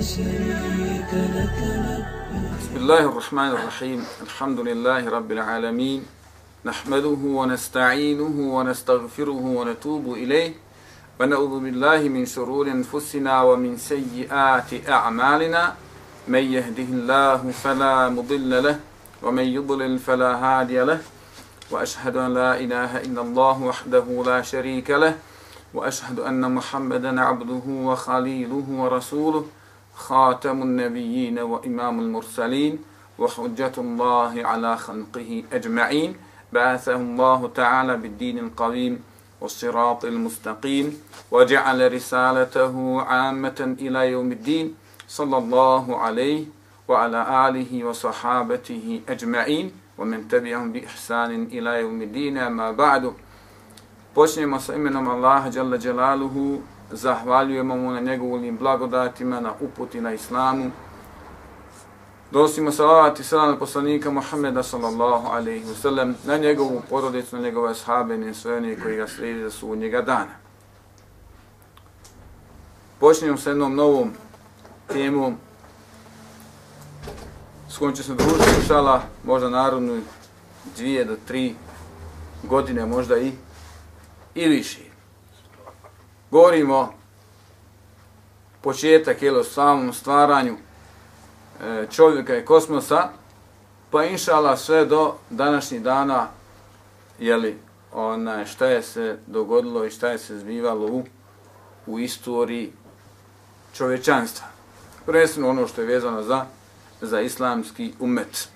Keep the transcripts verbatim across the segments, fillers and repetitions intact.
شريك لك لبيك. بسم الله الرحمن الرحيم. الحمد لله رب العالمين، نحمده ونستعينه ونستغفره ونتوب إليه، ونعوذ بالله من شرور أنفسنا ومن سيئات أعمالنا، من يهده الله فلا مضل له ومن يضلل فلا هادي له، وأشهد أن لا إله إلا الله وحده لا شريك له، وأشهد أن محمدا عبده وخليله ورسوله، خاتم النبيين وإمام المرسلين وحجة الله على خلقه أجمعين، بعثه الله تعالى بالدين القويم والصراط المستقيم، وجعل رسالته عامة إلى يوم الدين، صلى الله عليه وعلى آله وصحابته أجمعين ومن تبعهم بإحسان إلى يوم الدين. أما بعد. Počnemo sa imenom Allaha Jalla Jalaluhu, zahvaljujemo mu na njegovim blagodatima, na uputi na islamu. Donosimo salavat i salam na poslanika Muhammeda sallallahu alaihi wa sallam, na njegovu porodicu, na njegove ashabe i sve one koji ga slijedi za sudnjega dana. Počnemo sa jednom novom temom s kojom će se družiti, inšallah, možda narodnu dvije do tri godine, možda i i više. Govorimo početak je o samom stvaranju e, čovjeka i kosmosa, pa inšala sve do današnjih dana, jeli, ona, šta je se dogodilo i šta je se zbivalo u, u istoriji čovječanstva. Prvenstveno ono što je vezano za, za islamski umet.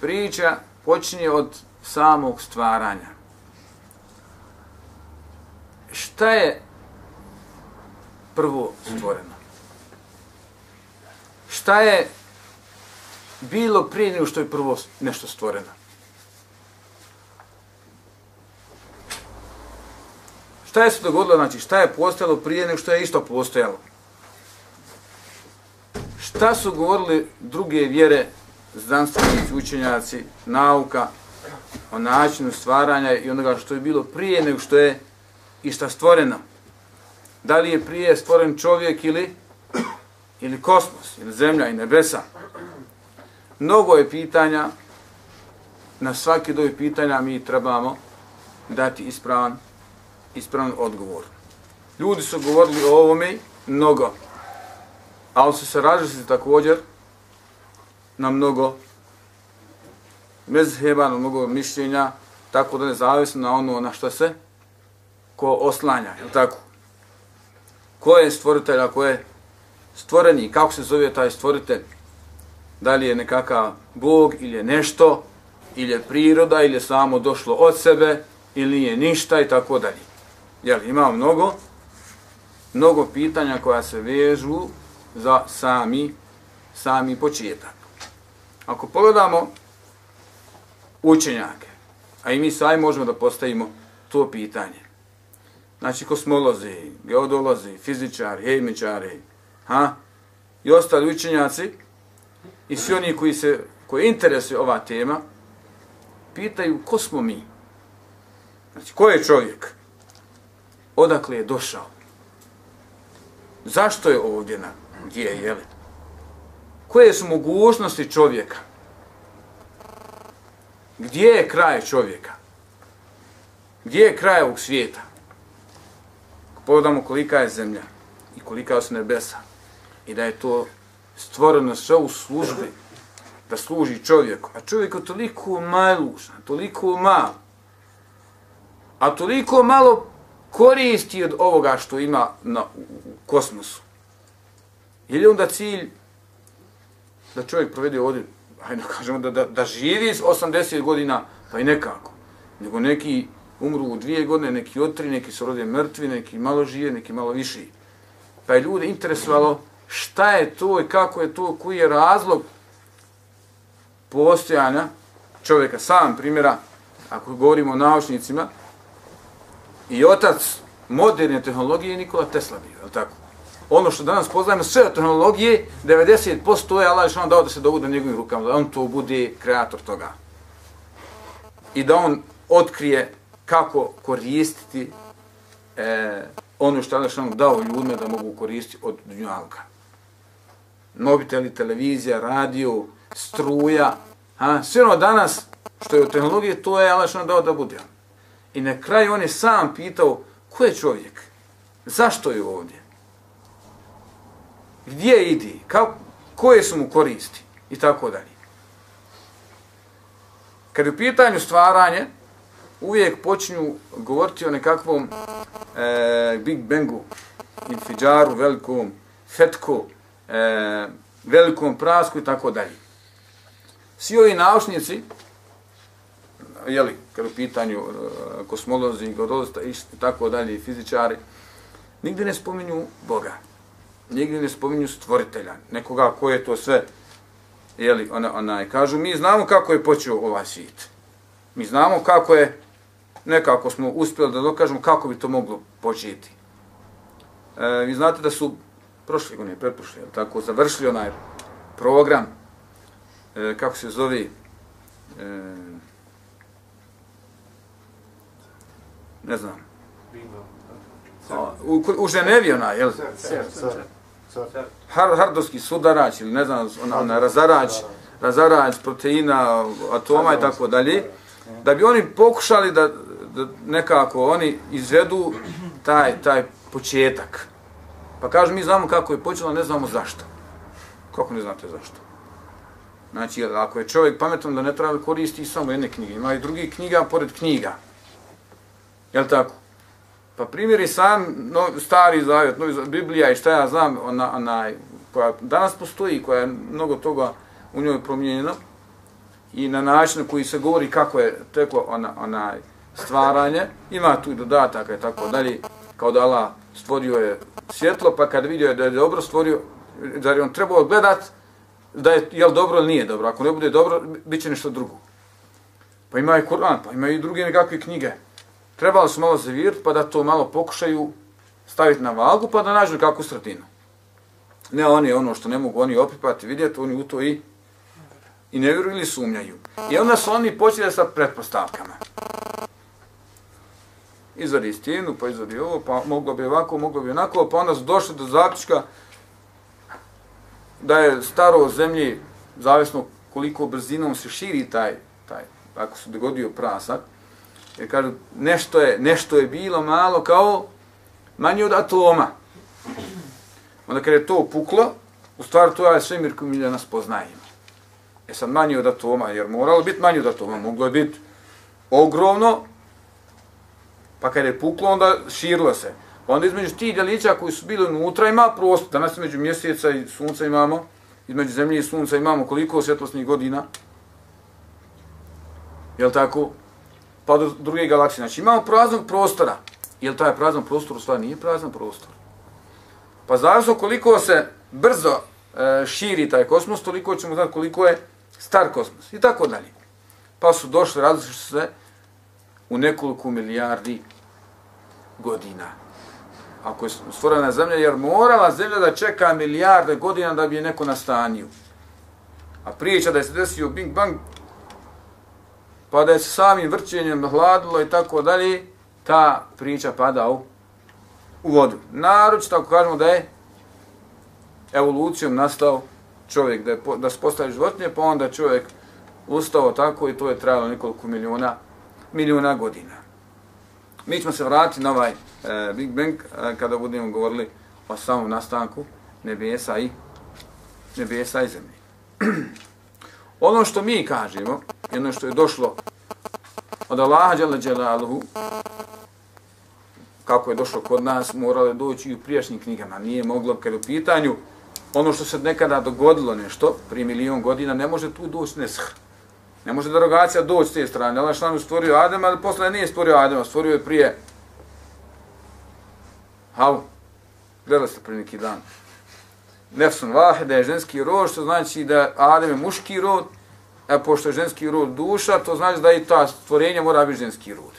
Priča počinje od samog stvaranja. Šta je prvo stvoreno? Šta je bilo prije nego što je prvo nešto stvoreno? Šta je se dogodilo? Znači, šta je postojalo prije nego što je isto postojalo? Šta su govorili druge vjere, znanstvenici, učenjaci, nauka, o načinu stvaranja i onoga što je bilo prije nego što je i šta stvoreno? Da li je prije stvoren čovjek ili, ili kosmos, ili zemlja i nebesa? Mnogo je pitanja, na svaki od ovih pitanja mi trebamo dati ispravan, ispravan odgovor. Ljudi su govorili o ovome mnogo, ali su se različili također na mnogo mezheba, na mnogo mišljenja, tako da ne zavisno na ono na što se ko oslanja, je li tako? Ko je stvoritelj, a ko je stvoreni, kako se zove taj stvoritelj? Da li je nekakav Bog ili je nešto, ili je priroda, ili je samo došlo od sebe, ili je ništa i tako dalje. Jel, ima mnogo, mnogo pitanja koja se vežu za sami, sami početak. Ako pogledamo učenjake, a i mi sami možemo da postavimo to pitanje. Znači, kosmolozi, geodolozi, fizičari, hemičari, ha? I ostali učenjaci, i svi oni koji se, koji interesuje ova tema, pitaju ko smo mi? Znači, ko je čovjek? Odakle je došao? Zašto je ovdje na gdje je, jeli? Koje su mogućnosti čovjeka? Gdje je kraj čovjeka? Gdje je kraj ovog svijeta? Pogledamo kolika je zemlja i kolika su nebesa i da je to stvoreno sve u službi da služi čovjeku. A čovjek je toliko malušan, toliko mal, a toliko malo koristi od ovoga što ima na, u, u kosmosu. Je li onda cilj da čovjek provede ovdje, hajde kažemo da, da, da živi s osamdeset godina, pa i nekako. Nego neki umru u dvije godine, neki od tri, neki su rode mrtvi, neki malo žive, neki malo viši. Pa je ljude interesovalo šta je to i kako je to, koji je razlog postojanja čovjeka. Sam primjera, ako govorimo o naučnicima, i otac moderne tehnologije je Nikola Tesla bio, je li tako? Ono što danas poznajemo sve od tehnologije, devedeset posto je Allah što dao da se dogodi njegovim rukama, da on to bude kreator toga. I da on otkrije kako koristiti e, ono što je Allah dao ljudima da mogu koristiti od dunjalka. Mobiteli, televizija, radio, struja, a, sve ono danas što je od tehnologije, to je Allah dao da bude. I na kraju on je sam pitao ko je čovjek, zašto je ovdje, gdje ide, kao, koje su mu koristi i tako dalje. Kad je u pitanju stvaranje, uvijek počinju govoriti o nekakvom e, Big Bangu, infidžaru, velikom fetku, e, velikom prasku i tako dalje. Svi ovi naučnici, jeli, kad je u pitanju e, kosmolozi, godolozi i tako dalje, fizičari, nigdje ne spominju Boga, nigdje ne spominju stvoritelja, nekoga ko je to sve, jeli, ona, onaj, kažu, mi znamo kako je počeo ovaj svijet. Mi znamo kako je, nekako smo uspjeli da dokažemo kako bi to moglo početi. E, vi znate da su prošle godine, pretprošle, tako, završili onaj program, e, kako se zove, e, ne znam, a, u, u Ženevi onaj, jel? Har, hardovski sudarač ili ne znam, ona, ona razarač, razarač proteina, atoma i tako dalje, da bi oni pokušali da, da nekako oni izvedu taj, taj početak. Pa kažu, mi znamo kako je počelo, ne znamo zašto. Kako ne znate zašto? Znači, ako je čovjek pametan da ne treba koristi samo jedne knjige, ima i drugih knjiga pored knjiga. Jel' tako? Pa primjeri sam no, stari zavjet, novi zavjet, Biblija i šta ja znam, ona, ona, koja danas postoji, koja je mnogo toga u njoj promijenjeno i na način na koji se govori kako je teklo ona, ona stvaranje, ima tu i dodataka i tako dalje, kao da Allah stvorio je svjetlo, pa kad vidio je da je dobro stvorio, da je on trebao gledat da je jel dobro ili nije dobro, ako ne bude dobro, bit će nešto drugo. Pa ima i Kur'an, pa ima i druge nekakve knjige. Trebalo su malo zavirati pa da to malo pokušaju staviti na vagu pa da nađu kakvu sredinu. Ne oni ono što ne mogu oni opipati, vidjeti, oni u to i, i ne vjeruju ili sumnjaju. I onda su oni počeli sa pretpostavkama. Izvadi istinu, pa izvadi ovo, pa moglo bi ovako, moglo bi onako, pa onda su došli do zaključka da je staro zemlji, zavisno koliko brzinom se širi taj, taj ako se dogodio prasak, jer kažu, nešto je, nešto je bilo malo kao manje od atoma. Onda kad je to puklo, u stvari to je svemir koji mi danas poznajemo. Je sad manje od atoma, jer moralo biti manje od atoma, moglo je biti ogromno, pa kad je puklo, onda širilo se. Onda između tih djelića koji su bili unutra ima prostor. Danas između mjeseca i sunca imamo, između zemlje i sunca imamo koliko svjetlosnih godina. Jel' tako? Pa do druge galaksije. Znači imamo praznog prostora. Jel' taj prazan prostor u stvari nije prazan prostor? Pa zavisno koliko se brzo e, širi taj kosmos, toliko ćemo znati koliko je star kosmos. I tako dalje. Pa su došli, različili su se u nekoliko milijardi godina. Ako je stvorena zemlja, jer morala zemlja da čeka milijarde godina da bi je neko nastanio. A priča da je se desio Big Bang, pa da je se samim vrćenjem hladilo i tako dalje, ta priča pada u, u vodu. Naročito ako kažemo da je evolucijom nastao čovjek, da, je, da se postavi životinje, pa onda čovjek ustao tako i to je trajalo nekoliko miliona, miliona godina. Mi ćemo se vratiti na ovaj e, Big Bang e, kada budemo govorili o samom nastanku nebesa i, nebesa i zemlje. Ono što mi kažemo, jedno što je došlo od Allaha dželle dželaluhu, kako je došlo kod nas, moralo je doći i u prijašnjim knjigama. Nije moglo, kad u pitanju ono što se nekada dogodilo nešto, prije milijon godina, ne može tu doći nesh. Ne može derogacija doći s te strane. Allah šalanu stvorio Adema, ali posle nije stvorio Adema, stvorio je prije. Hav, gledali ste prije neki dan. Nefsun vahide je ženski rod, što znači da Adem je muški rod, a pošto je ženski rod duša, to znači da i ta stvorenja mora biti ženski rod.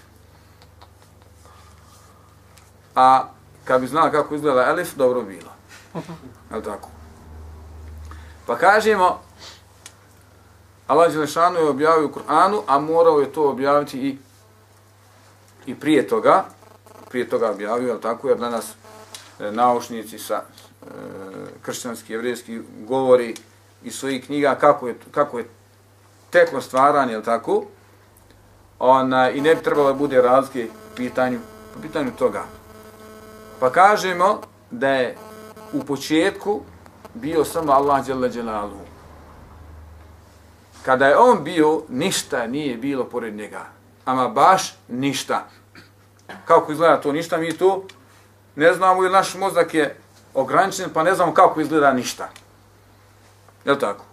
A kad bi znala kako izgleda elif, dobro bilo. Je tako? Pa kažemo, Allah Đelešanu je objavio u Kur'anu, a morao je to objaviti i, i prije toga, prije toga objavio, ali tako, jer danas e, naučnici sa e, kršćanski, jevrijski govori iz svojih knjiga kako je, kako je teklo stvaranje, jel tako? Ona, i ne bi trebalo da bude razlike po pitanju, po pitanju toga. Pa kažemo da je u početku bio samo Allah dželle dželaluhu. Kada je on bio, ništa nije bilo pored njega. Ama baš ništa. Kako izgleda to ništa, mi to ne znamo, jer naš mozak je ograničen, pa ne znamo kako izgleda ništa. Je li tako?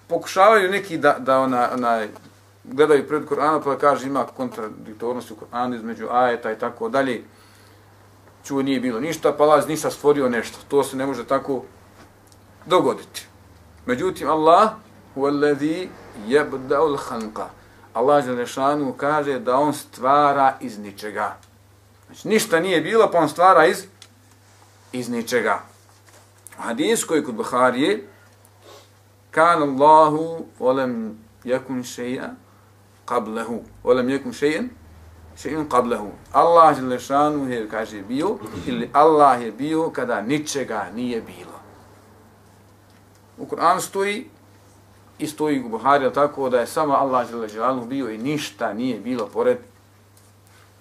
Pokušavaju neki da, da ona, ona, gledaju pred Kur'ana, pa kaže ima kontradiktornost u Kur'anu između ajeta i tako dalje. Čuo nije bilo ništa, pa Allah ništa stvorio nešto. To se ne može tako dogoditi. Međutim, Allah huwallazi yabda'ul khalqa. Allah dželešanu kaže da on stvara iz ničega. Znači, ništa nije bilo, pa on stvara iz, iz ničega. U hadisu koji kod Buharije, kan Allahu volem yakun shay'a qablahu, volem yakun shay'an shay'un qablahu. Allah dželešanu je, kaže, bio, ili Allah je bio kada ničega nije bilo. U Kur'anu stoji, i stoji u Buhari, tako da je samo Allah dželle bio i ništa nije bilo pored,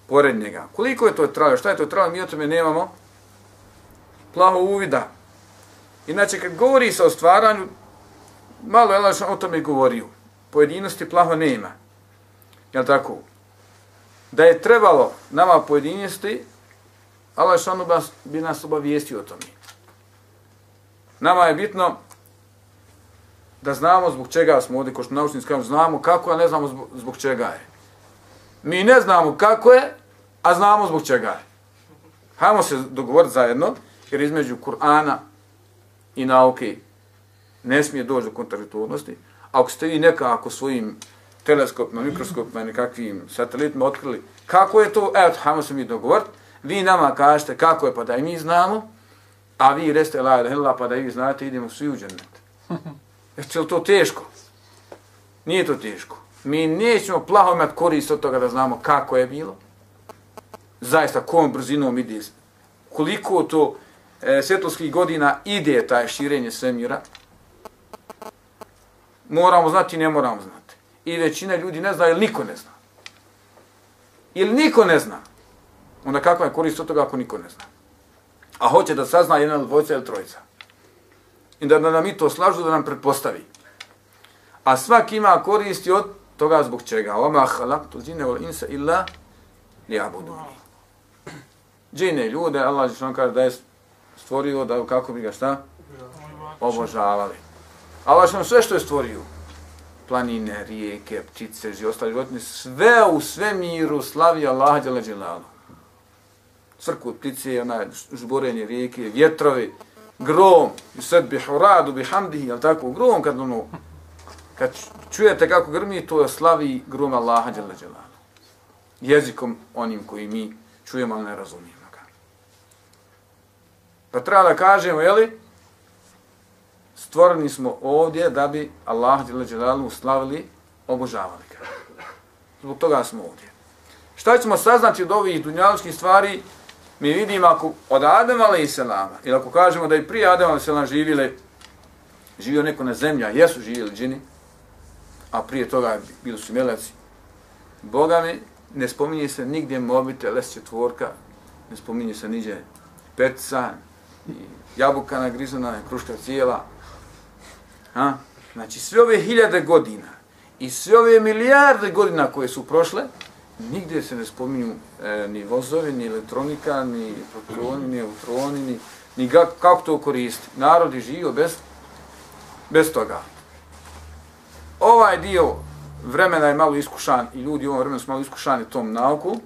pored njega. Koliko je to trajalo? Šta je to trajalo? Mi o tome nemamo plaho uvida. Inače, kad govori se o stvaranju, malo je Allah o tome govorio. Pojedinosti plaho nema. Jel' tako? Da je trebalo nama pojedinosti, Allah bi nas obavijestio o tome. Nama je bitno da znamo zbog čega smo ovdje, ko što naučnici kažu, znamo kako, a ne znamo zbog, zbog čega je. Mi ne znamo kako je, a znamo zbog čega je. Hajmo se dogovoriti zajedno, jer između Kur'ana i nauke ne smije doći do kontradiktornosti. Ako ste vi nekako svojim teleskopima, mikroskopima, nekakvim satelitima otkrili kako je to, evo, hajmo se mi dogovoriti, vi nama kažete kako je, pa da i mi znamo, a vi reste la ilaha illallah, pa da i vi znate, idemo svi u džennet. Je li to teško? Nije to teško. Mi nećemo plaho imati korist od toga da znamo kako je bilo. Zaista, kojom brzinom ide. Koliko to e, svjetlosskih godina ide taj širenje svemira. Moramo znati i ne moramo znati. I većina ljudi ne zna ili niko ne zna. Ili niko ne zna. Onda kakva je korist od toga ako niko ne zna? A hoće da sazna jedna ili dvojica ili trojica. I da nam i to slažu, da nam pretpostavi. A svaki ima koristi od toga zbog čega. Oma halaktu džine wal insa illa liya'buduni. Džine ljude, Allah dželle kaže da je stvorio da kako bi ga šta? Obožavali. Allah dželle sve što je stvorio, planine, rijeke, ptice, i ostale životinje, sve u svemiru slavi Allah dželle dželaluhu. Crkvu ptice, onaj žborenje rijeke, vjetrovi, grom, yusabbihu radu bihamdihi, jel tako, grom kad ono, kad čujete kako grmi, to slavi grom Allaha dželle dželaluhu. Jezikom onim koji mi čujemo, ali ne razumijemo ga. Pa treba da kažemo, jeli, stvoreni smo ovdje da bi Allaha dželle dželaluhu slavili, obožavali ga. Zbog toga smo ovdje. Šta ćemo saznati od ovih dunjaličkih stvari? Mi vidimo ako od Adama alejselama, ili ako kažemo da i prije Adama alejselama živjeli, živio neko na zemlji, a jesu živjeli džini, a prije toga bili su meleci. Boga mi, ne spominje se nigdje mobitel, es četvorka, ne spominje se niđe petica, jabuka nagrizana, kruška cijela. Ha? Znači sve ove hiljade godina i sve ove milijarde godina koje su prošle, nigdje se ne spominju e, ni vozovi, ni elektronika, ni protoni, ni neutroni, ni, ni ga, kako to koristi. Narod je živio bez, bez toga. Ovaj dio vremena je malo iskušan i ljudi u ovom vremenu su malo iskušani tom nauku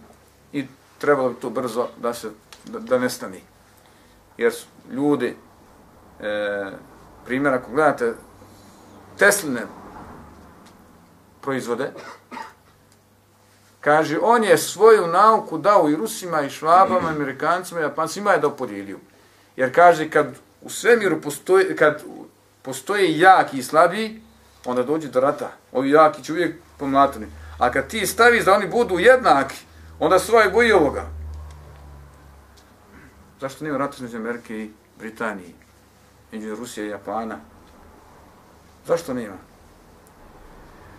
i trebalo bi to brzo da se da, da nestani. Jer su ljudi, e, primjer, ako gledate Tesline proizvode, kaže, on je svoju nauku dao i Rusima, i Švabama, i Amerikancima, i Japancima je dao podijelio. Jer kaže, kad u svemiru postoji, kad postoje jaki i slabiji, onda dođe do rata. Ovi jaki će uvijek pomlatani. A kad ti staviš da oni budu jednaki, onda se ovaj boji ovoga. Zašto nema rata između Amerike i Britanije, između Rusije i Japana? Zašto nema?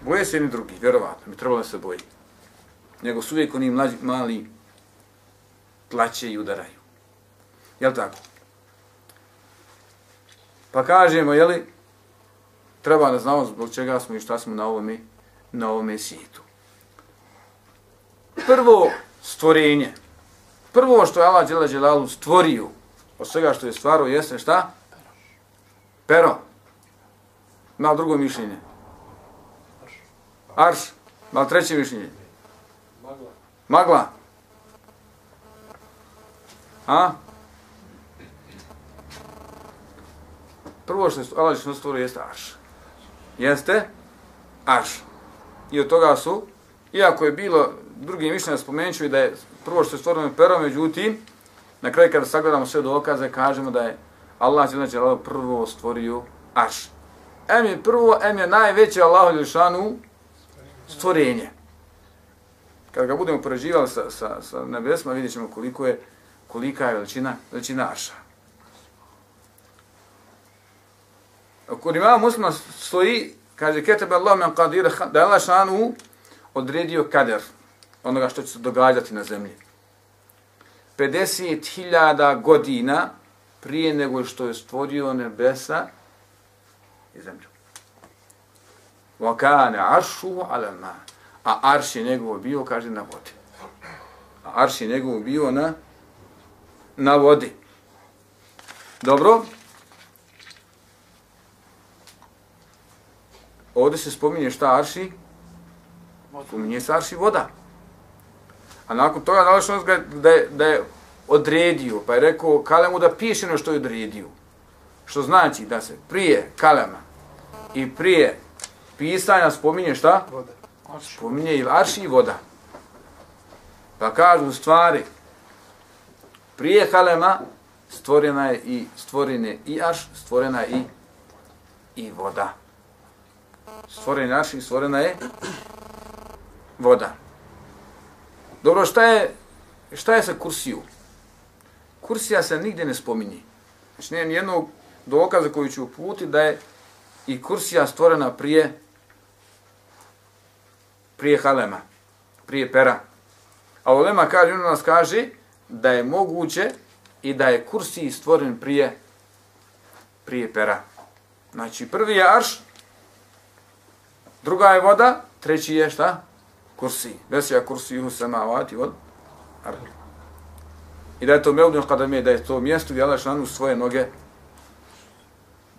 Boje se jedni drugi, vjerovatno, mi trebalo da se boji. Nego su uvijek oni mlađi, mali tlače i udaraju. Jel tako? Pa kažemo, jeli, treba da znamo zbog čega smo i šta smo na ovome, na ovome svijetu. Prvo stvorenje, prvo što je Allah dželle dželaluhu stvorio od svega što je stvarao jeste šta? Pero. Ima drugo mišljenje. Arš. Ima treće mišljenje. Magla. Magla. A? Prvo što je Allah dželle stvorio jeste arš. Jeste arš. I od toga su, iako je bilo drugi mišljenja, spomenut ću i da je prvo što je stvoreno pero, međutim, na kraju kada sagledamo sve dokaze, kažemo da je Allah dželle prvo stvorio arš. Em je prvo, em je najveće Allahu dželešanu stvorenje. Kada ga budemo poređivali sa, sa, sa nebesima, vidjet ćemo koliko je, kolika je veličina, veličina arša. Kod imama Muslima stoji, kaže, ketebe Allah men qadira, da je Allah šanu odredio kader, onoga što će se događati na zemlji. pedeset hiljada godina prije nego što je stvorio nebesa i zemlju. Wa kana arshuhu ala al-ma. A arš je njegov bio, kaže, na vodi. A arš je njegov bio na, na vodi. Dobro. Ovdje se spominje šta arši? Spominje se arši voda. A nakon toga nalazi da je, da je odredio, pa je rekao kalemu da piše ono što je odredio. Što znači da se prije kalema i prije pisanja spominje šta? Voda. Spominje i arši i voda. Pa kažu u stvari, prije kalema stvorena je i stvorene i arš, stvorena je i, i voda. Stvorena je arš i stvorena je voda. Dobro, šta je, šta je sa kursiju? Kursija se nigdje ne spominje. Znači, nije nijednog dokaza koji ću uputiti da je i kursija stvorena prije prije halema, prije pera. A ulema kaže, on nas kaže da je moguće i da je kursij stvoren prije prije pera. Znači, prvi je arš, druga je voda, treći je šta? Kursij. Vesija kursijuhu samavati od ardi. I da je to meudun kadame, da je to mjesto gdje Allah šanu svoje noge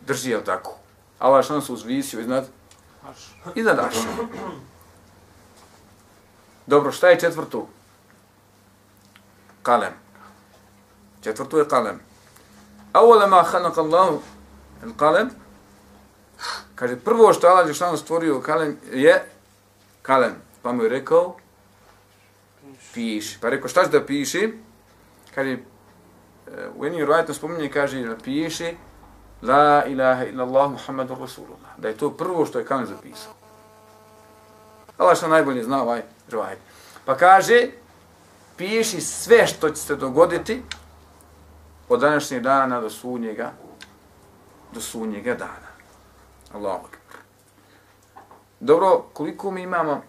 drži, jel tako? Allah šanu se uzvisio iznad iznad arša. Dobro, šta je četvrto? Kalem. Četvrto je kalem. Awwala ma khalaqa Allahu al-qalam. Kaže, prvo što Allah dželešanu stvorio kalem je kalem. Pa mu je rekao, piši. Pa je rekao, šta će da piši? Kaže, u jednim rivajetima spominje, kaže, piši, la ilaha illallah Muhammadur Rasulullah. Da je to prvo što je kalem zapisao. Allah što najbolje zna ovaj rivajet. Pa kaže, piši sve što će se dogoditi od današnjeg dana do sudnjega, do sudnjega dana. Allahu akbar. Dobro, koliko mi imamo,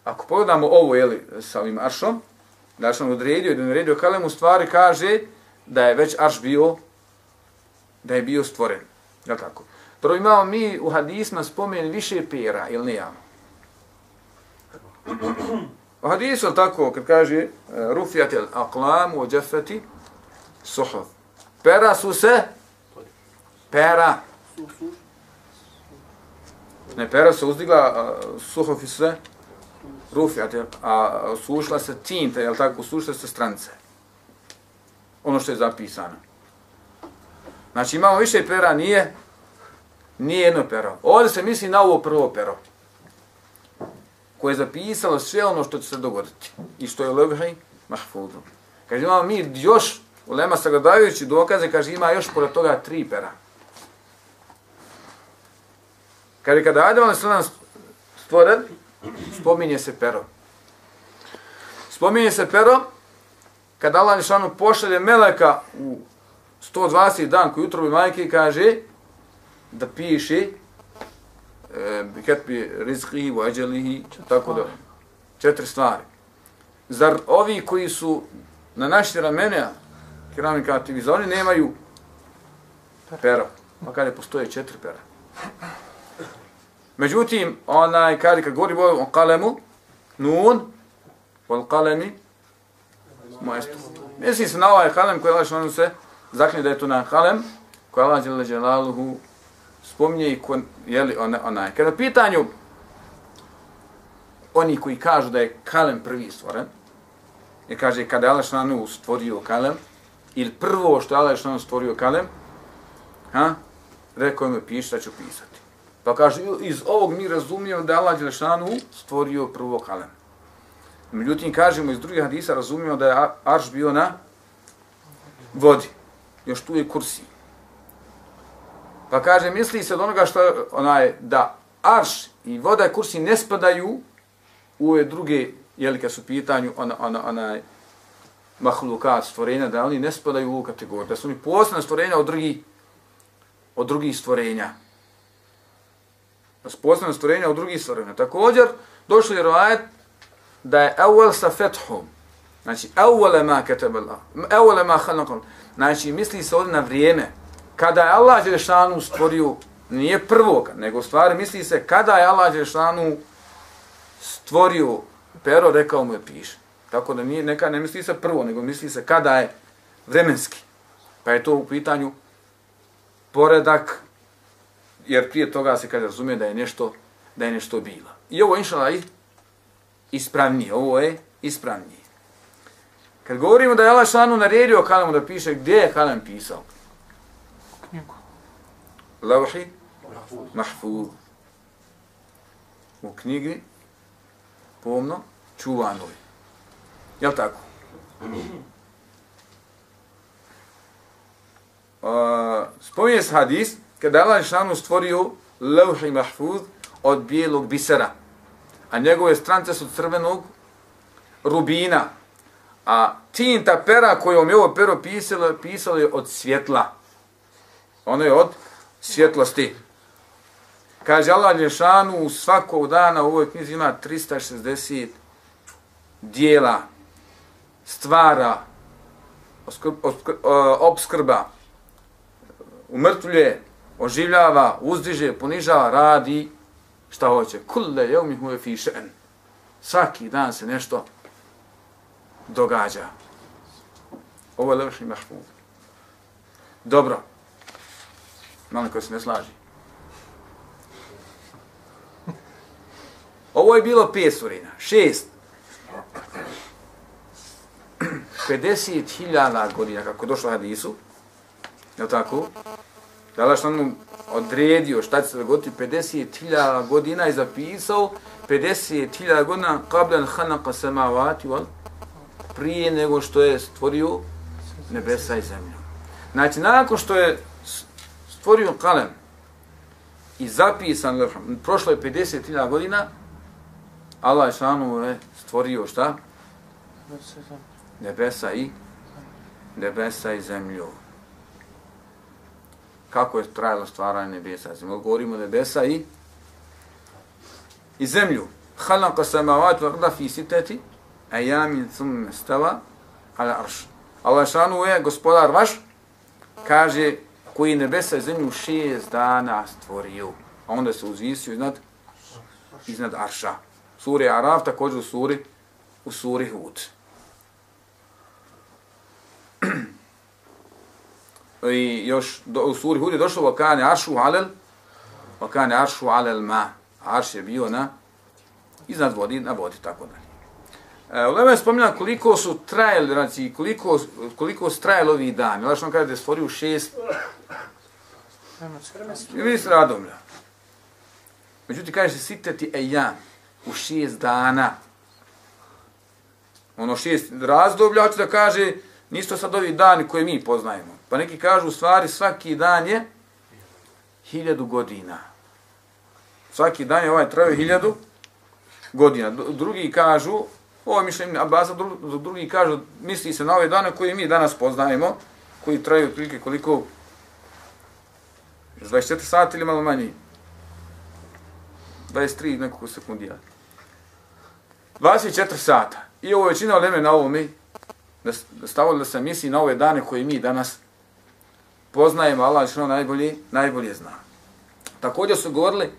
ako pogledamo ovo, jeli, sa ovim aršom, da je on odredio i da je odredio kalem, u stvari kaže da je već arš bio, da je bio stvoren. Jel' tako? Dobro, imamo mi u hadisma spomen više pera, ili ne imamo? U hadisu je tako, kad kaže rufijat el aqlam u džefeti suhuf. Pera su se, pera. Ne, pera se uzdigla, suhufi se rufijat, a sušla se tinta, jel tako, sušla se strance. Ono što je zapisano. Znači imamo više pera, nije, nije jedno pero. Ovdje se misli na ovo prvo pero, koje je zapisalo sve ono što će se dogoditi i što je u levhi mahfudu. Kaže, imamo mi još, ulema sagledavajući dokaze, kaže, ima još pored toga tri pera. Kaže, kada Adem alejselam stvoren, spominje se pero. Spominje se pero kada Allah Đelešanu pošalje meleka u sto dvadeset dan koji utrobi majke kaže da piše biketbi rizqihi wa ajalihi, tako da četiri stvari. Zar ovi koji su na naši ramena kirami katibi, za oni nemaju pera, pa kada postoje četiri pera. Međutim, onaj, kada kad govori o kalemu, nun, o kalemi, maestru. Mislim se na ovaj kalem koji Allah šanu se zaklinje da je to na kalem, koji Allah dželle dželaluhu spominje i ko, jeli, onaj. Kada u pitanju oni koji kažu da je kalem prvi stvoren, jer kaže kada je Allah šanu stvorio kalem, ili prvo što je Allah šanu stvorio kalem, ha, rekao mi piši da ću pisati. Pa kaže, iz ovog mi razumijemo da je Allah Đelešanu stvorio prvo kalem. Međutim, kažemo iz drugih hadisa, razumijemo da je arš bio na vodi. Još tu je kursi. Pa kaže, misli se od onoga što je, onaj, da arš i voda i kursi ne spadaju u ove druge, jeli kad su u pitanju ona, ona, onaj mahlukat stvorenja, da oni ne spadaju u ovu kategoriju. Da su oni posebna stvorenja od drugih, od drugih stvorenja. Posebno stvorenja od drugih stvorenja. Također, došli je rivajet da je evvel sa fethom. Znači, evvele ma ketabela, evvele ma halakal. Znači, misli se ovdje na vrijeme. Kada je Allah Đelešanu stvorio, nije prvog, nego stvari misli se kada je Allah Đelešanu stvorio pero, rekao mu je piše. Tako da nije, neka ne misli se prvo, nego misli se kada je vremenski. Pa je to u pitanju poredak, jer prije toga se kaže razumije da je nešto da je nešto bilo. I ovo je inšallah ispravnije, ovo je ispravnije. Kad govorimo da je Allah šanu naredio kalemu da piše, gdje je kalem pisao? Knjigu. Lauhi mahfuz. U knjigi pomno čuvanoj. Jel tako? Uh, spominje se hadis kada je Allah šanu stvorio lauhi mahfuz od bijelog bisera, a njegove strance su crvenog rubina, a tinta pera kojom je ovo pero pisalo, pisalo je od svjetla. Ono je od svjetlosti. Kaže Allah Đelešanu, svakog dana u ovoj knjizi ima trista šezdeset dijela, stvara, obskrba, umrtvljuje, oživljava, uzdiže, ponižava, radi šta hoće. Kulle jevmi huve fi še'n. Svaki dan se nešto događa. Ovo je levši mahfuz. Dobro. Malo koji se ne slaži. Ovo je bilo pet surina. Šest. pedeset hiljada godina, kako je došlo u hadisu. Je li tako? Da Allah što nam odredio šta će se dogoditi, pedeset hiljada godina je zapisao, pedeset hiljada godina qabla khalaqa samawati wal, prije nego što je stvorio nebesa i zemlju. Znači, nakon što je stvorio kalem i zapisan, prošlo je pedeset hiljada godina, Allah je šanu je stvorio šta? Nebesa i nebesa i zemlju. Kako je trajalo stvaranje nebesa i zemlju? Govorimo nebesa i i zemlju. Khalaqa samawati wal arda fi sittati ayamin thumma istawa ala arsh. Allah šanu je gospodar vaš, kaže, koji nebesa i zemlju šest dana stvorio. A onda se uzvisio iznad iznad arša. Suri Araf, također u suri u suri Hud. I još do, u suri Hud je došlo vakane aršu alel vakane aršu alel ma. Arš je bio na iznad vodi, na vodi, tako dalje. E, Ulema je spominjala koliko su trajali, znači koliko, koliko su trajali ovi dani. Znači on kaže da je stvorio šest i vidi se radomlja. Međutim, kaže se siteti ejam u šest dana. Ono šest razdoblja, hoće da kaže, nisu to sad ovi dani koje mi poznajemo. Pa neki kažu, u stvari, svaki dan je hiljadu godina. Svaki dan je ovaj trajao hiljadu godina. Drugi kažu, Ovo je mišljenje Abasa, dru, drugi kažu, misli se na ove dane koje mi danas poznajemo, koji traju otprilike koliko? dvadeset četiri sata ili malo manje? dvadeset tri nekoliko sekundija. dvadeset četiri sata. I ovo je većina uleme na ovome, da stavili da se misli na ove dane koje mi danas poznajemo, Allah što najbolje, najbolje zna. Također su govorili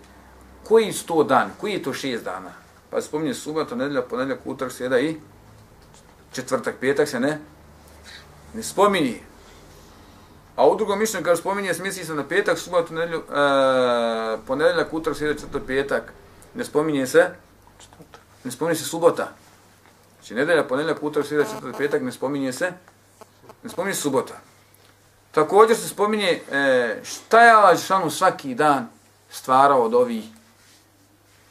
koji su to dan, koji je to šest dana. Pa se spominje subota, nedjelja, ponedjeljak, utorak, srijeda i četvrtak, petak se ne, ne spominje. A u drugom mišljenju kada spominje, misli se na petak, subotu, nedjelju, e, ponedjeljak, utorak, srijeda, četvrtak, petak. Ne spominje se, ne spominje se subota. Znači nedjelja, ponedjeljak, utorak, srijeda, četvrtak, petak, ne spominje se, ne spominje se subota. Također se spominje e, šta je Allah Žešanu svaki dan stvarao od ovih,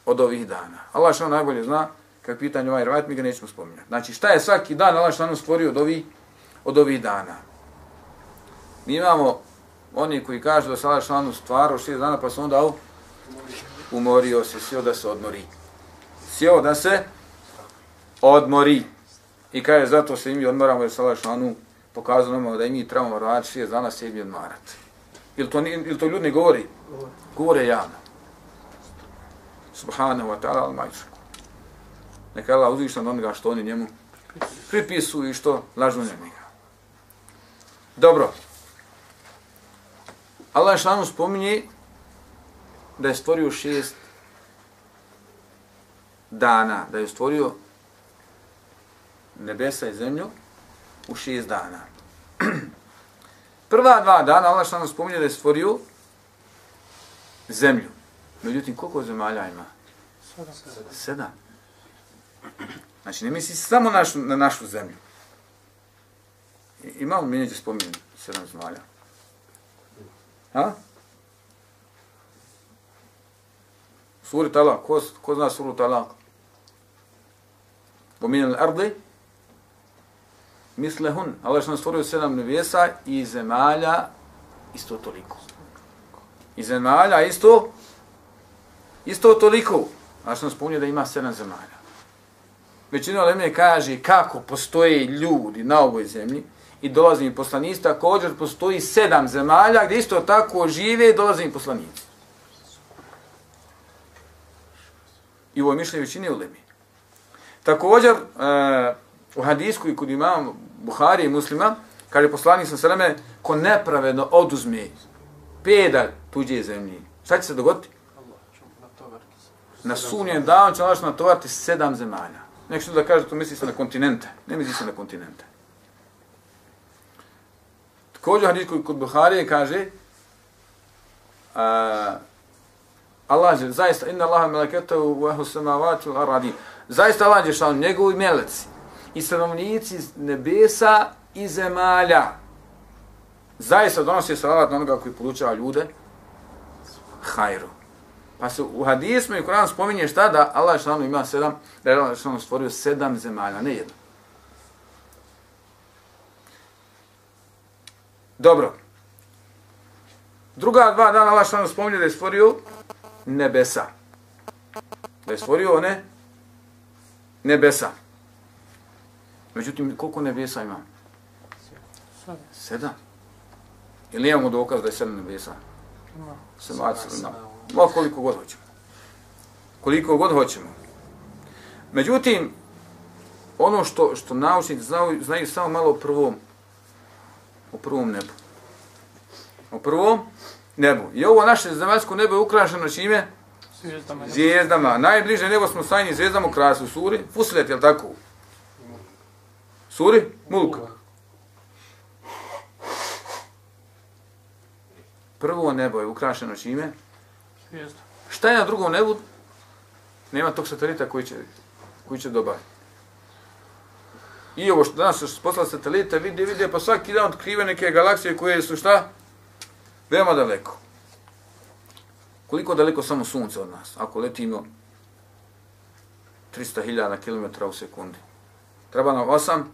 od ovih dana. Allah Žešanu najbolje zna, kad pitanje ovaj rivajat, mi ga nećemo spominjati. Znači šta je svaki dan Allah Žešanu stvorio od ovih, od ovih dana. Mi imamo oni koji kažu da se Allah Žešanu stvarao šest dana, pa se onda umorio se, sjeo da se odmori. Sjeo da se odmori. I kaže, zato se i mi odmoramo jer se Allah Žešanu pokazano nam da i mi trebamo raditi šest dana sebi odmarati. Ili to, ili to ljudi ne govori? Govore javno. Subhanahu wa ta'ala al-majčaku. Neka Allah uzvišan onoga što oni njemu pripisuju i što lažu njega. Dobro. Allah šanu spominje da je stvorio šest dana, da je stvorio nebesa i zemlju u šest dana. Prva dva dana Allah što nam spominje da je stvorio zemlju. Međutim, koliko zemalja ima? Sedam. Sedam. Znači, ne misli samo našu, na našu zemlju. Ima li mi neće spominjati sedam zemalja? Ha? Suri Talak. Ko, ko zna suru Talak? Pominjali ardi? Mislehun. Allah što nam stvorio sedam nebesa i zemalja isto toliko. I zemalja isto isto toliko. Allah što nam spominje da ima sedam zemalja. Većina uleme kaže kako postoje ljudi na ovoj zemlji i dolaze im poslanici, također postoji sedam zemalja gdje isto tako žive i dolaze im poslanici. I ovo je mišljenje većine uleme. Također, uh, u hadisku i kod imam Buhari i Muslima, kaže poslanik sa seleme, ko nepravedno oduzme pedalj tuđe zemlje, šta će se dogoditi? Na sunnijem danu će Allah natovariti sedam zemalja. Nek što da kaže, to misli se na kontinente. Ne misli se na kontinente. Također hadis kod Buharije kaže uh, Allah je zaista inna Allaha meleketahu wa ahlu samawati wal ardi. Zaista Allah je šao njegovi meleci i stanovnici nebesa i zemalja. Zaista donosi salavat na onoga koji podučava ljude hajru. Pa se u hadismu i Kur'anu spominje šta da Allah šao ima sedam, da je Allah šao stvorio sedam zemalja, ne jedno. Dobro. Druga dva dana Allah šao spominje da je stvorio nebesa. Da je stvorio one nebesa. Međutim, koliko nebesa ima? Sedam. Ili imamo dokaz da je sedam nebesa? Sedam. Ma koliko god hoćemo. Koliko god hoćemo. Međutim, ono što, što naučnici znaju, znaju samo malo o prvom, o prvom nebu. O prvom nebu. I ovo naše zemaljsko nebo je ukrašeno čime? Zvijezdama. Zvijezdama. Najbliže nebo smo sajni zvijezdama ukrasili u suri. Fusilet, je li tako? Suri? Mulk. Prvo nebo je ukrašeno čime? Zvijezda. Šta je na drugom nebu? Nema tog satelita koji će, koji će dobaviti. I ovo što danas su poslali satelite, vidi, vidi, pa svaki dan otkrive neke galaksije koje su šta? Veoma daleko. Koliko daleko samo sunce od nas? Ako letimo trista hiljada kilometara u sekundi. Treba nam osam,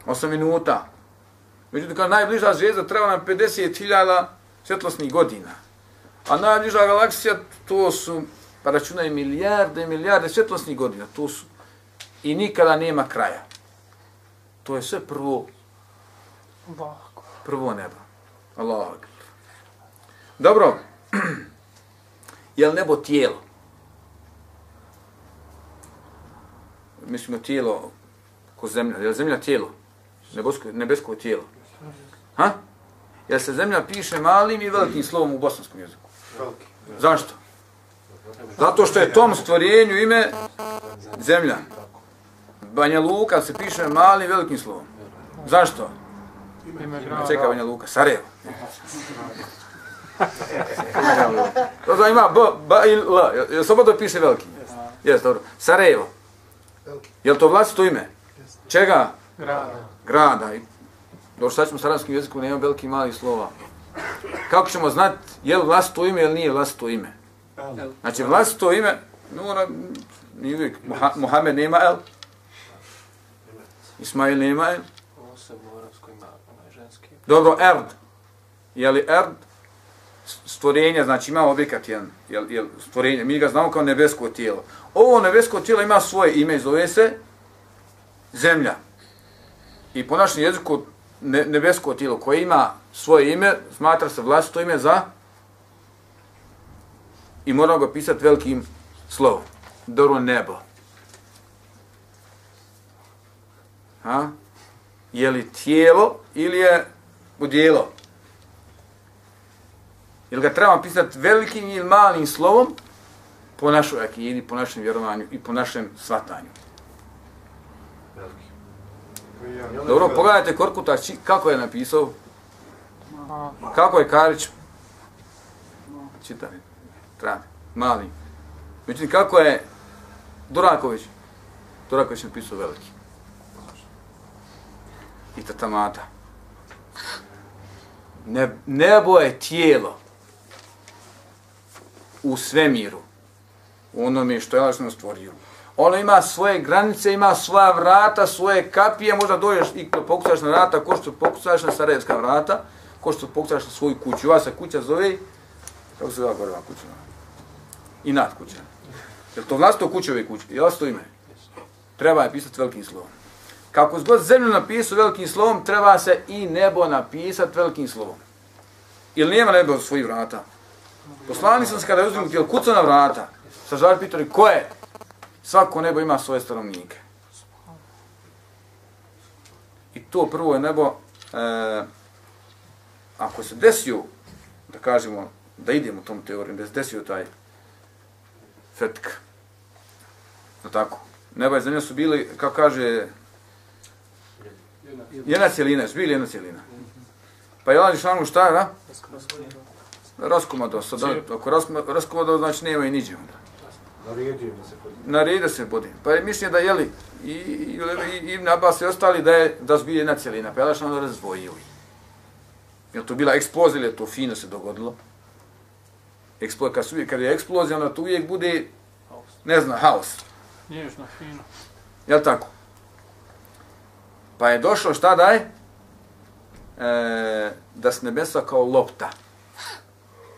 osam minuta. Međutim, kao najbliža zvijezda treba nam pedeset hiljada svjetlosnih godina. A najbliža galaksija, to su, pa računaj, milijarde i milijarde svjetlosnih godina. To su i nikada nema kraja. To je sve prvo, prvo nebo. Allahu akbar. Dobro, je li nebo tijelo? Mislimo tijelo ko zemlja. Je li zemlja tijelo? Nebesko, nebesko tijelo. Ha? Jel se zemlja piše malim i velikim slovom u bosanskom jeziku? Zašto? Zato što je tom stvorenju ime zemlja. Banja Luka se piše malim i velikim slovom. Zašto? Čeka Banja Luka, Sarajevo. To znači ima B, B i L. Jel slobodno piše veliki? Jes, dobro. Sarajevo. Jel to vlastito ime? Čega? Grada. Grada. Dobro, sad ćemo u sarajevskom jeziku, nema veliki mali slova. Kako ćemo znati je li vlastito ime ili nije vlastito ime? Znači vlastito ime, mora, nije uvijek, Mohamed nema el, Ismail nema el. Dobro, Erd. Je li Erd stvorenje, znači ima objekat jedan, jel, jel, stvorenje, mi ga znamo kao nebesko tijelo. Ovo nebesko tijelo ima svoje ime, zove se zemlja. I po našem jeziku ne, nebesko tijelo koje ima svoje ime, smatra se vlastito ime za i moramo ga pisati velikim slovom. Dobro nebo. Ha? Je li tijelo ili je udjelo? Jel ga trebamo pisati velikim ili malim slovom po našoj akidi, po našem vjerovanju i po našem shvatanju? Dobro, pogledajte Korkuta, kako je napisao? Kako je Karić? Čitavi, travi, mali. Međutim, kako je Duraković? Duraković je napisao veliki. I tatamata. Ne, nebo je tijelo u svemiru, u onome što je Allah stvorio. Ono ima svoje granice, ima svoja vrata, svoje kapije, možda dođeš i pokucaš na vrata, ko što pokucaš na sarajevska vrata, ko što pokucaš na svoju kuću. Ova se kuća zove, kako se zove goreva kuća? Inat kuća. Je li to vlastito kuće ove kuće? Je vlastito ime? Treba je pisati velikim slovom. Kako god zemlju napisao velikim slovom, treba se i nebo napisati velikim slovom. Ili nema nebo svojih vrata? Poslani sam se kada je uzim, jel kuca na vrata? Sa žali pitali, ko je? Svako nebo ima svoje stanovnike. I to prvo je nebo, e, ako se desio, da kažemo, da idemo tom teorijom, da se desio taj fetk, no tako, nebo i zemlja su bili, kako kaže, jedna cijelina, su bili jedna cijelina. Pa je Allah Žešanu šta je, da? Raskomado, sad, ako raskomado, znači nema i niđe onda. Naredio se bodi. Pa je mišljenje da jeli i, i, i Ibn Abbas i ostali da je da su bili jedna cijelina. Pa je Allah Žešanu razdvojio. Je to bila eksplozija ili je to fino se dogodilo? Eksplo, kad, su, kad je eksplozija, onda to uvijek bude, ne znam, haos. Nježno, fino. Jel tako? Pa je došlo šta da je? E, da su nebesa kao lopta.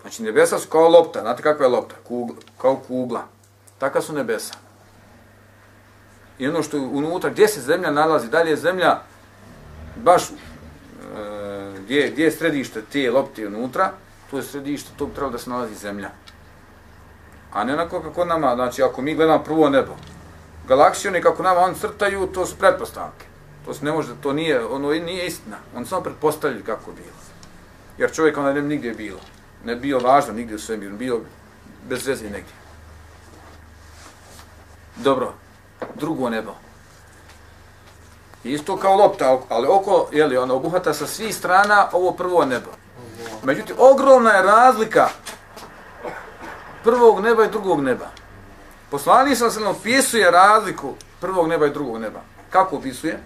Znači nebesa su kao lopta. Znate kakva je lopta? Kugla, kao kugla. Taka su nebesa. I ono što je unutra, gdje se zemlja nalazi, da li je zemlja baš e, gdje, gdje je središte te lopte unutra, to je središte, to bi trebalo da se nalazi zemlja. A ne onako kako nama, znači ako mi gledamo prvo nebo, galaksijone kako nama oni crtaju, to su pretpostavke. To se ne može, to nije, ono nije istina. On samo pretpostavljaju kako je bilo. Jer čovjek onda ne bi nigdje bilo. Ne bio važno nigdje u svemiru, bio bez veze negdje. Dobro, drugo nebo. Isto kao lopta, ali oko, jeli, ono obuhvata sa svih strana ovo prvo nebo. Međutim, ogromna je razlika prvog neba i drugog neba. Poslanik sam se opisuje razliku prvog neba i drugog neba. Kako opisuje?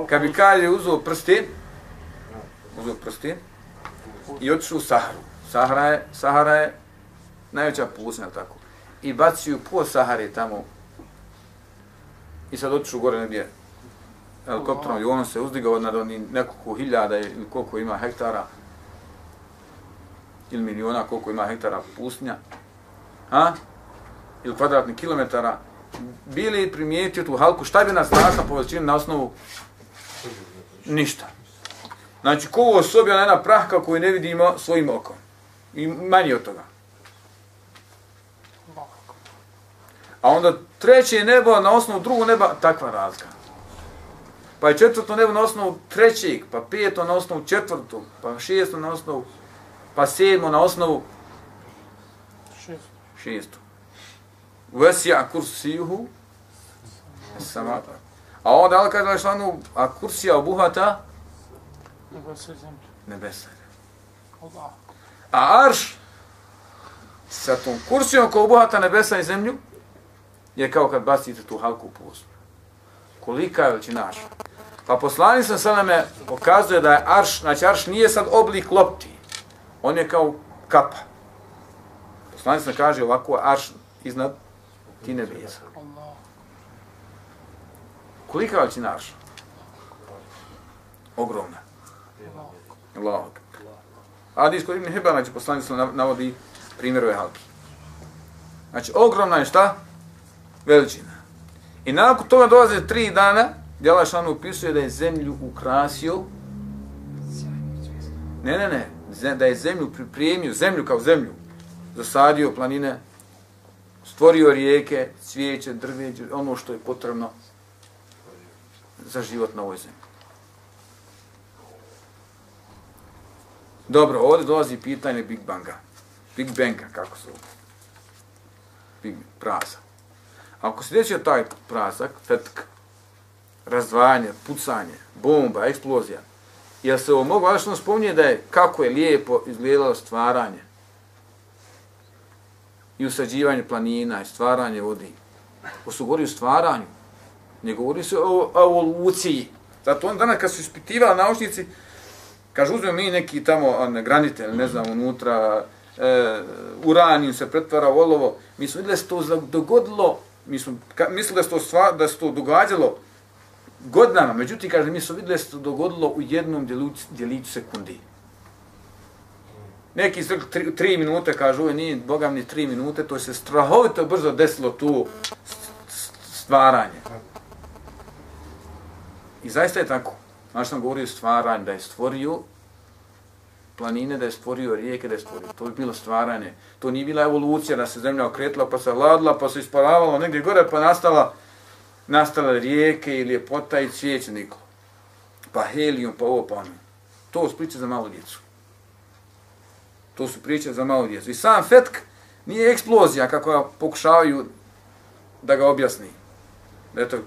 Kad bi Kalje uzeo prsten, uzeo prsten i otišao u Saharu. Sahara je, Sahara je najveća pustinja, tako. I bacio po Sahari tamo. I sad otišao gore negdje helikopterom i on se uzdigao nad onih nekoliko hiljada ili koliko ima hektara ili miliona koliko ima hektara pustinja. A? Ili kvadratnih kilometara bili primijetio tu halku, šta bi nas našla po veličini na osnovu? Ništa. Znači, ko u osobi je jedna prahka koju ne vidimo svojim okom. I manje od toga. A onda treće nebo na osnovu drugog neba, takva razlika. Pa je četvrto nebo na osnovu trećeg, pa peto na osnovu četvrtog, pa šesto na osnovu, pa sedmo na osnovu šesto. Vesija kursijuhu samata. A onda Allah kaže Đelešanu, a kursija obuhvata nebesa. A arš sa tom kursijom koja obuhvata nebesa i zemlju je kao kad bacite tu halku u prostor. Kolika je veličina arša? Pa poslanik sam sada me pokazuje da je arš, znači arš nije sad oblik lopti, on je kao kapa. Poslanik sam kaže ovako arš iznad ti nebesa. Kolika je veličina arša? Ogromna. Allahu akbar. Hadis kod Ibn Hibana, znači poslanik sam navodi primjer ove halki. Znači ogromna je šta? Veličina. I nakon toga dolaze tri dana gdje Allah šanu upisuje da je zemlju ukrasio. Ne, ne, ne. Da je zemlju pripremio, zemlju kao zemlju. Zasadio planine, stvorio rijeke, cvijeće, drveće, ono što je potrebno za život na ovoj zemlji. Dobro, ovdje dolazi pitanje Big Banga. Big Banga, kako se ovdje. Big praza. Ako se desio taj prazak, fetk, razdvajanje, pucanje, bomba, eksplozija, jel se ovo mogu, ali što spominje da je kako je lijepo izgledalo stvaranje i usađivanje planina i stvaranje vodi. Ko su govorili o stvaranju, ne govori se o evoluciji. Zato on danas kad su ispitivali naučnici, kaže uzmemo mi neki tamo ne, granite, ne znam, unutra, e, uranijum se pretvara u olovo, mi smo vidjeli da se to dogodilo. Mi smo mislili da se to, stvar, da se to događalo godinama, međutim, kaže, mi smo vidjeli da se to dogodilo u jednom djeliću, djeliću sekundi. Neki su tri, tri minute, kažu, ovo nije, Bogam, ni tri minute, to je se strahovito brzo desilo tu stvaranje. I zaista je tako. Znači sam govorio stvaranje, da je stvorio planine, da je stvorio rijeke, da je stvorio. To bi bilo stvaranje. To nije bila evolucija, da se zemlja okretila, pa se ladila, pa se isparavalo negdje gore, pa nastala, nastala rijeke i ljepota i cvijeće niklo. Pa helijum, pa ovo, pa ono. To su priče za malu djecu. To su priče za malu djecu. I sam fetk nije eksplozija, kako pokušavaju da ga objasni. Eto,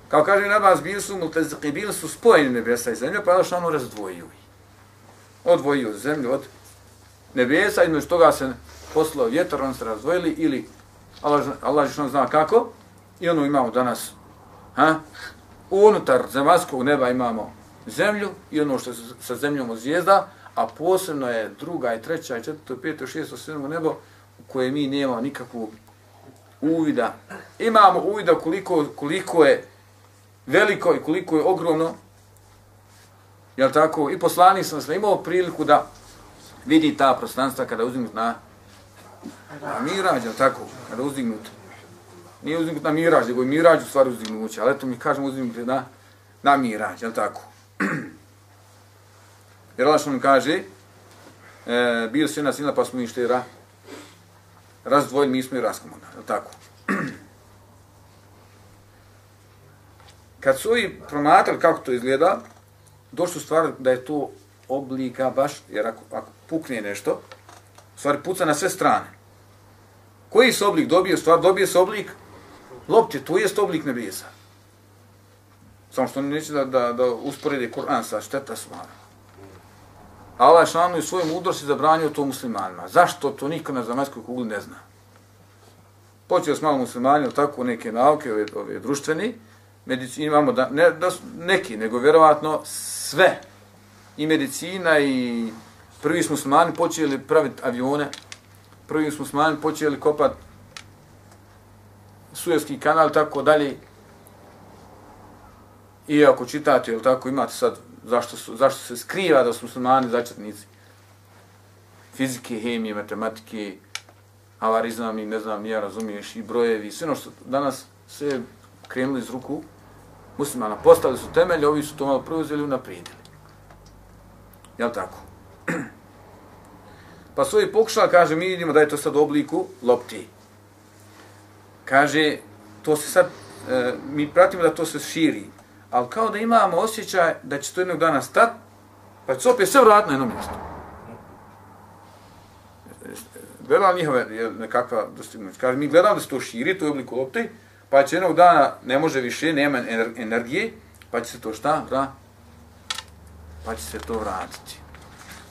kao kaže Nabas, bili su multeziki, bili su spojeni nebesa i zemlja, pa je ono razdvojio ih. Odvojio zemlju od nebesa, između toga se poslao vjetar, on se razdvojili, ili Allah, Allah što zna kako, i ono imamo danas, ha? Unutar zemaljskog neba imamo zemlju, i ono što se sa zemljom od zvijezda, a posebno je druga i treća i četvrto, peto, šesto, sedmo nebo, u koje mi nemamo nikakvu uvida. Imamo uvida koliko, koliko je veliko i koliko je ogromno. Jel tako? I poslanik sam sve imao priliku da vidi ta prostranstva kada uzdignut na, na mirađ, jel tako? Kada uzdignut. Nije uzdignut na mirađ, nego je mirađ u stvari uzdignuće, ali eto mi kažemo uzdignut na, na mirađ, jel tako? Jer Allah što mi kaže, e, bio se jedna sila pa smo išli ra, razdvojili, mi smo i raskomodali, jel tako? Kad su ovi promatrali kako to izgleda, došli u stvari da je to oblika baš, jer ako, ako pukne nešto, u stvari puca na sve strane. Koji se oblik dobije? U stvari dobije se oblik lopće, to jest oblik nebesa. Samo što neće da, da, da usporede Kur'an sa šteta svara. Allah šanu i svojom mudrosti zabranio to muslimanima. Zašto to niko na zemaljskoj kugli ne zna? Počeo s malo muslimanima, tako neke nauke, ove, ove društveni, medicini imamo, da, ne da neki, nego vjerovatno sve. I medicina i prvi smo muslimani počeli praviti avione, prvi smo muslimani počeli kopati Suezki kanal, tako dalje. I ako čitate, jel tako, imate sad zašto, su, zašto se skriva da su muslimani začetnici fizike, hemije, matematike, avarizam i ne znam, nija razumiješ, i brojevi, sve ono što danas sve krenuli iz ruku muslimana. Postavili su temelje, ovi su to malo preuzeli i unaprijedili. Jel' tako? Pa su ovi pokušali, kaže, mi vidimo da je to sad u obliku lopti. Kaže, to se sad, e, mi pratimo da to se širi, ali kao da imamo osjećaj da će to jednog dana stati, pa će se opet sve vratiti na jedno mjesto. Gledala njihove nekakva dostignuća. Kaže, mi gledamo da se to širi, to je u obliku lopti, pa će jednog dana, ne može više, nema energije, pa će se to šta? Vra? Pa će se to vratiti.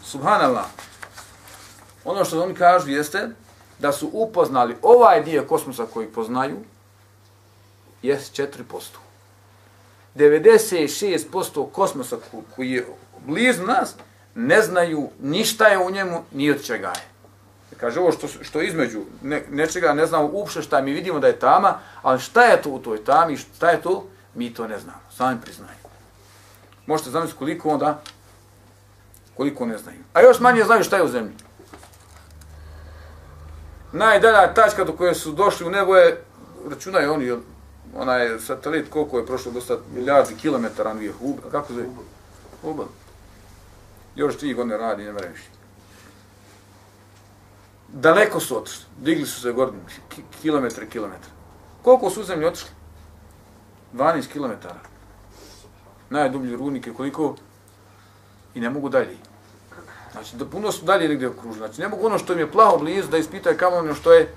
Subhanallah. Ono što oni kažu jeste da su upoznali ovaj dio kosmosa koji poznaju jest četiri posto. devedeset šest posto kosmosa koji je blizu nas ne znaju ništa je u njemu, ni od čega je. Kaže, ovo što, što između ne, nečega ne znamo uopšte šta, mi vidimo da je tama, ali šta je to u toj tami, šta je to, mi to ne znamo, sami priznajemo. Možete zamisliti koliko onda, koliko ne znaju. A još manje znaju šta je u zemlji. Najdalja tačka do koje su došli u nebo je, računaju oni, onaj satelit koliko je prošlo dosta milijardi kilometara, nije Hubble, kako zove? Hubble. Još tri godine radi, ne vremeš. Daleko su otišli, digli su se gore, kilometre, kilometre. Koliko su u zemlji otišli? dvanaest kilometara. Najdublji rudnike, koliko? I ne mogu dalje. Znači, da puno su dalje negdje okruženi. Znači, ne mogu ono što im je plaho blizu da ispitaju kamo ono što je.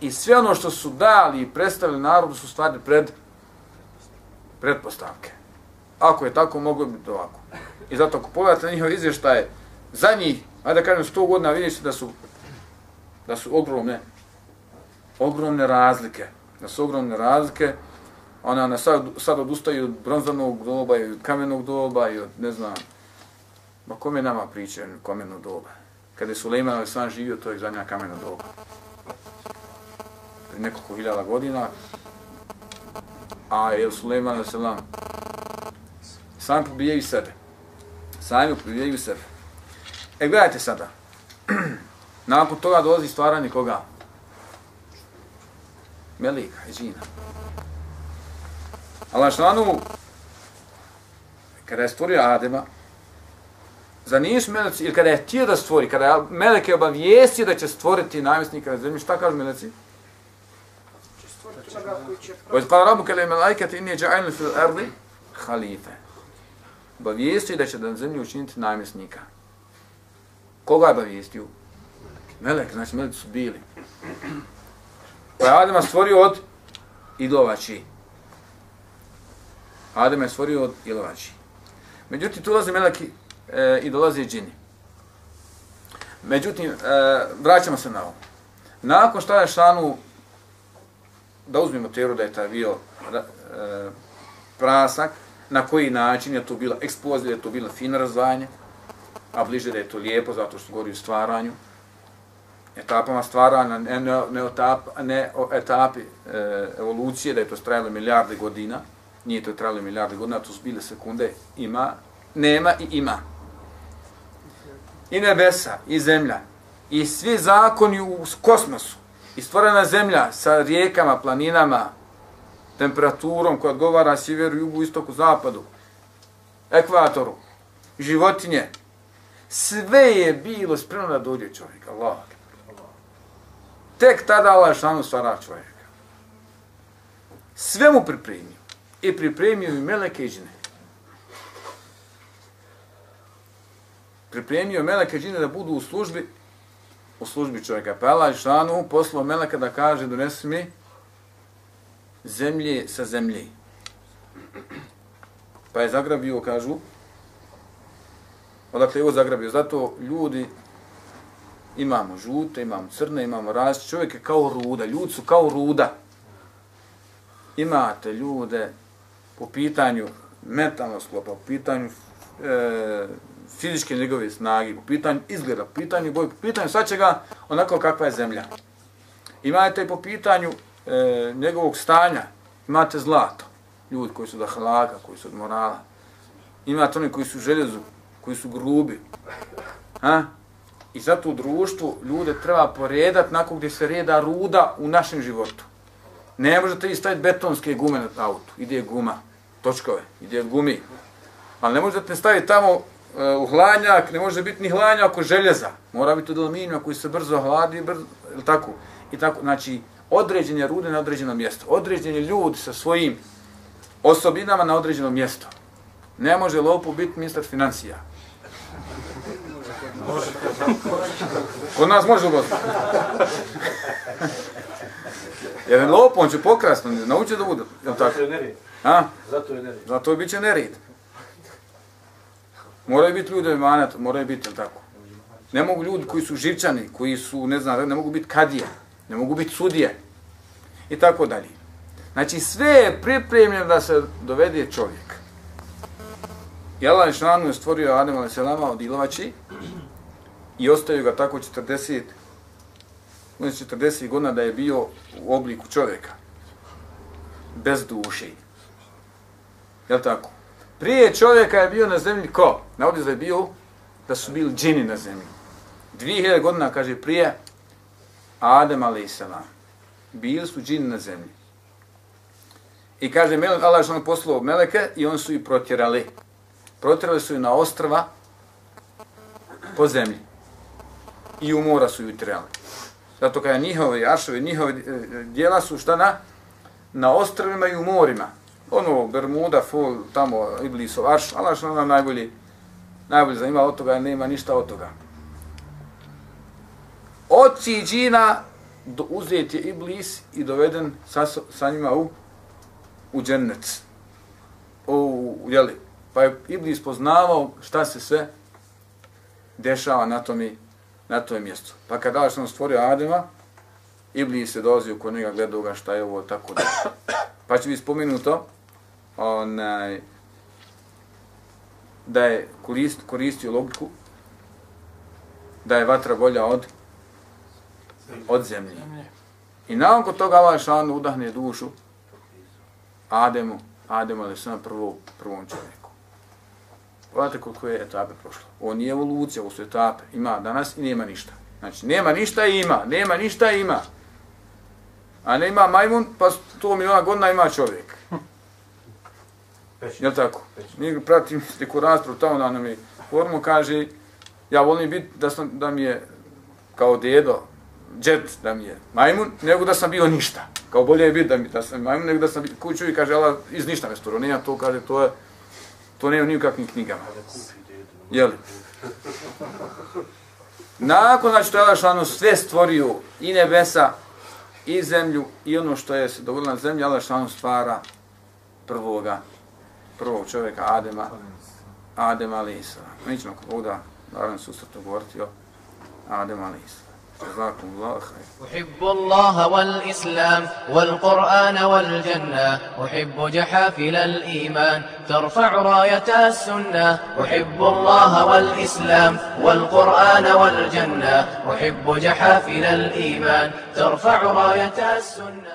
I sve ono što su dali i predstavili narodu su stvari pred pretpostavke. Ako je tako, moglo bi ovako. I zato ako pogledate njihove izvještaje, za njih, ajde da kažem sto godina, vidiš da su da su ogromne, ogromne razlike. Da su ogromne razlike. Ona na sad, sad odustaju od bronzanog doba i od kamenog doba i od, ne znam, ma kome nama pričaju kamenog doba? Kada je Sulejman Alejhiselam živio, to je zadnja kamena doba. Prije nekoliko hiljada godina, a je Sulejman Alejhiselam sam pobijaju sebe. Sami pobijaju sebe. E, gledajte sada. Nakon toga dolazi stvaranje koga? Melika i džina. Allah šlanu, kada je stvorio Adema, za nisu meleci, ili kada je htio da stvori, kada je Melek je obavijestio da će stvoriti namjesnika na zemlji, šta kažu meleci? Od pa rabu kada je melajkati inni ja'alun fil ardi halife. Obavijestio da će na zemlji učiniti namjesnika. Koga je obavijestio? Melek, znači meleci su bili. Pa je Adema stvorio od idovači. Adem je stvorio od idovači. Međutim, tu dolaze meleki e, i dolaze i džini. Međutim, e, vraćamo se na ovo. Nakon što je šanu, da uzmemo teoriju da je taj bio e, prasak, na koji način je to bila eksplozija, je to bilo fino razdvajanje, a bliže da je to lijepo, zato što govori o stvaranju, etapama stvaranja, ne, ne, ne, etap, ne o etapi e, evolucije, da je to trajalo milijarde godina, nije to trajalo milijarde godina, to su bile sekunde, ima, nema i ima. I nebesa, i zemlja, i svi zakoni u kosmosu, i stvorena zemlja sa rijekama, planinama, temperaturom koja odgovara sjeveru, jugu, istoku, zapadu, ekvatoru, životinje, sve je bilo spremno da dođe čovjek, Allah. Tek tada Allah šanu stvara čovjeka. Sve mu pripremio. I pripremio i meleke i džine. Pripremio meleke i džine da budu u službi, u službi čovjeka. Pa Allah šanu poslao meleka da kaže, donesi mi zemlje sa zemlje. Pa je zagrabio, kažu, odakle je ovo zagrabio. Zato ljudi imamo žute, imamo crne, imamo različite. Čovjek je kao ruda, ljudi su kao ruda. Imate ljude po pitanju mentalnog sklopa, po pitanju e, fizičke njegove snage, po pitanju izgleda, po pitanju boje, po pitanju svačega onako kakva je zemlja. Imate po pitanju e, njegovog stanja, imate zlato, ljudi koji su od ahlaka, koji su od morala. Imate oni koji su željezu, koji su grubi. Ha? I zato u društvu ljude treba poredati nakon gdje se reda ruda u našem životu. Ne možete vi staviti betonske gume na autu. Ide guma, točkove, ide gumi. Ali ne možete staviti tamo uh, u hladnjak, ne može biti ni hladnjak ako željeza. Mora biti od aluminija koji se brzo hladi, brzo, ili tako. I tako, znači, određen je rude na određeno mjesto. Određen je ljudi sa svojim osobinama na određeno mjesto. Ne može lopu biti ministar financija. Kod nas može uboziti. Jer lopu, on će pokrasno, nauči da bude. Zato je nered. A? Zato je nered. Zato je bit će nered. Moraju biti ljudi emanat, moraju biti, jel tako? Ne mogu ljudi koji su živčani, koji su, ne znam, ne mogu biti kadije, ne mogu biti sudije. I tako dalje. Znači sve je pripremljeno da se dovede čovjek. I Allah Žešanu je stvorio Adem alejhi selama od ilovači i ostavio ga tako četrdeset, četrdeset godina da je bio u obliku čovjeka. Bez duše. Jel' tako? Prije čovjeka je bio na zemlji ko? Navodi da je bio, da su bili džini na zemlji. dvije hiljade godina, kaže, prije Adem alejhi selam. Bili su džini na zemlji. I kaže, Allah je što poslao meleke i oni su ih protjerali. Protjerali su ih na ostrva po zemlji. I u mora su ih tjerali. Zato kada njihove aršove, njihove djela su šta na? Na ostrvima i u morima. Ono, Bermuda, Fol, tamo, Iblisov, Arš, Allah što nam najbolji, najbolji zanima od toga, nema ništa od toga. Oci džina uzet je Iblis i doveden sa, sa njima u, u džennet. U, jeli, pa je Iblis poznavao šta se sve dešava na tom, na tom mjestu. Pa kada Allah što nam stvorio Adema, Iblis je dolazio kod njega, gledao ga šta je ovo, tako da. Pa će biti spomenuto onaj, da je korist, koristio logiku da je vatra bolja od od zemlje. I nakon toga Allah šanu udahne dušu Ademu, Ademu ali sam prvo, prvom čovjeku. Pogledajte koliko je etape prošlo. Ovo nije evolucija, ovo su etape. Ima danas i nema ništa. Znači, nema ništa i ima. Nema ništa i ima. A ne ima majmun, pa sto miliona godina ima čovjek. Jel' tako? Mi pratim neku raspravu tamo da nam je formu, kaže, ja volim biti da, sam, da mi je kao dedo, džet da mi je majmun, nego da sam bio ništa. Kao bolje je biti da, mi, da sam majmun, nego da sam bio kuću i kaže, Allah, iz ništa me stvorio. Nema to, kaže, to je, to nema ni u kakvim knjigama. Jel? Nakon, znači, to je Allah šano sve stvorio, i nebesa, i zemlju, i ono što je se dogodilo na zemlji, Allah šano stvara prvoga, prvog čovjeka, Adema, Adem alejhi selam. Mi ćemo ovdje, naravno, susretno govoriti o Adem alejhi selam. جزاكم الله خير. أحب الله والإسلام والقرآن والجنة، أحب جحافل الإيمان ترفع راية السنة. أحب الله والإسلام والقرآن والجنة، أحب جحافل الإيمان ترفع راية السنة.